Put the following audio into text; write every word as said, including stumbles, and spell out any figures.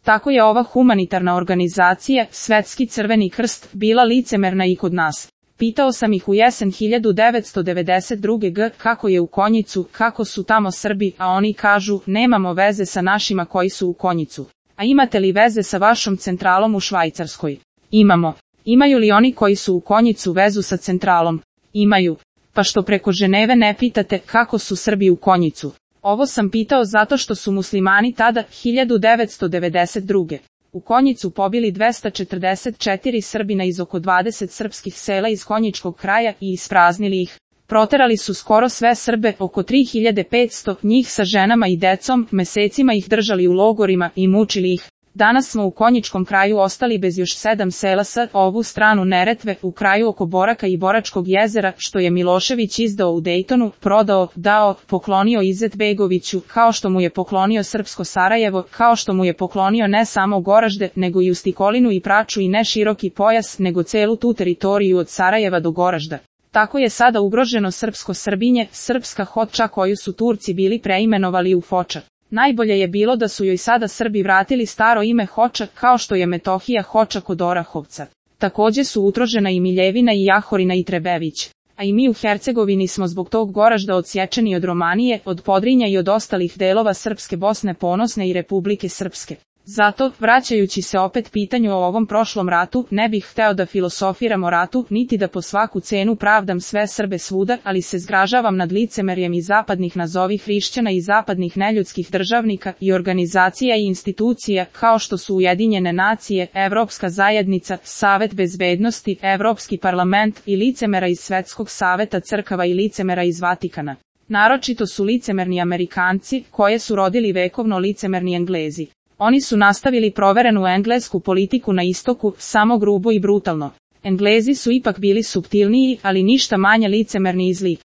Tako je ova humanitarna organizacija, Svetski crveni krst, bila licemerna i kod nas. Pitao sam ih u jesen hiljadu devetsto devedeset druge. g. kako je u Konjicu, kako su tamo Srbi, a oni kažu, nemamo veze sa našima koji su u Konjicu. A imate li veze sa vašom centralom u Švajcarskoj? Imamo. Imaju li oni koji su u Konjicu vezu sa centralom? Imaju. Pa što preko Ženeve ne pitate kako su Srbi u Konjicu? Ovo sam pitao zato što su muslimani tada, hiljadu devetsto devedeset druge. u Konjicu pobili dvesta četrdeset četiri Srbina iz oko dvadeset srpskih sela iz Konjičkog kraja i ispraznili ih. Proterali su skoro sve Srbe, oko tri hiljade petsto, njih sa ženama i decom, mesecima ih držali u logorima i mučili ih. Danas smo u Konjičkom kraju ostali bez još sedam sela sa ovu stranu Neretve, u kraju oko Boraka i Boračkog jezera, što je Milošević izdao u Dejtonu, prodao, dao, poklonio Izetbegoviću, kao što mu je poklonio Srpsko Sarajevo, kao što mu je poklonio ne samo Goražde, nego i Ustikolinu i Praču i ne široki pojas, nego celu tu teritoriju od Sarajeva do Goražda. Tako je sada ugroženo srpsko Srbinje, srpska Hoča koju su Turci bili preimenovali u Foča. Najbolje je bilo da su joj sada Srbi vratili staro ime Hoča, kao što je Metohija Hoča kod Orahovca. Takođe su utrožena i Miljevina i Jahorina i Trebević. A i mi u Hercegovini smo zbog tog Goražda odsječeni od Romanije, od Podrinja i od ostalih delova Srpske Bosne Ponosne i Republike Srpske. Zato, vraćajući se opet pitanju o ovom prošlom ratu, ne bih hteo da filosofiram o ratu, niti da po svaku cenu pravdam sve Srbe svuda, ali se zgražavam nad licemerjem i zapadnih nazovi hrišćana i zapadnih neljudskih državnika i organizacija i institucija, kao što su Ujedinjene nacije, Evropska zajednica, Savet bezbednosti, Evropski parlament i licemera iz Svetskog saveta crkava i licemera iz Vatikana. Naročito su licemerni Amerikanci, koje su rodili vekovno licemerni Englezi. Oni su nastavili proverenu englesku politiku na istoku, samo grubo i brutalno. Englezi su ipak bili suptilniji, ali ništa manje licemerni i zli.